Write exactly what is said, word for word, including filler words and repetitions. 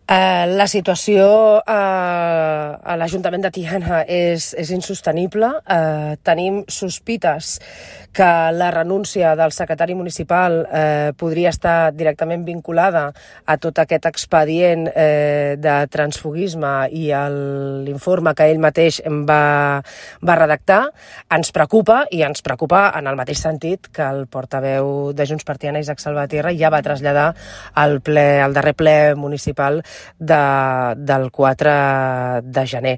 Uh, la situació uh, a l'Ajuntament de Tiana és, és insostenible. Uh, tenim sospites que la renúncia del secretari municipal eh, podria estar directament vinculada a tot aquest expedient eh, de transfugisme i l'informe que ell mateix va, va redactar. Ens preocupa, i ens preocupa en el mateix sentit que el portaveu de Junts per Tiana, Isaac Salvatierra, ja va traslladar al, ple, al darrer ple municipal de, del quatre de gener.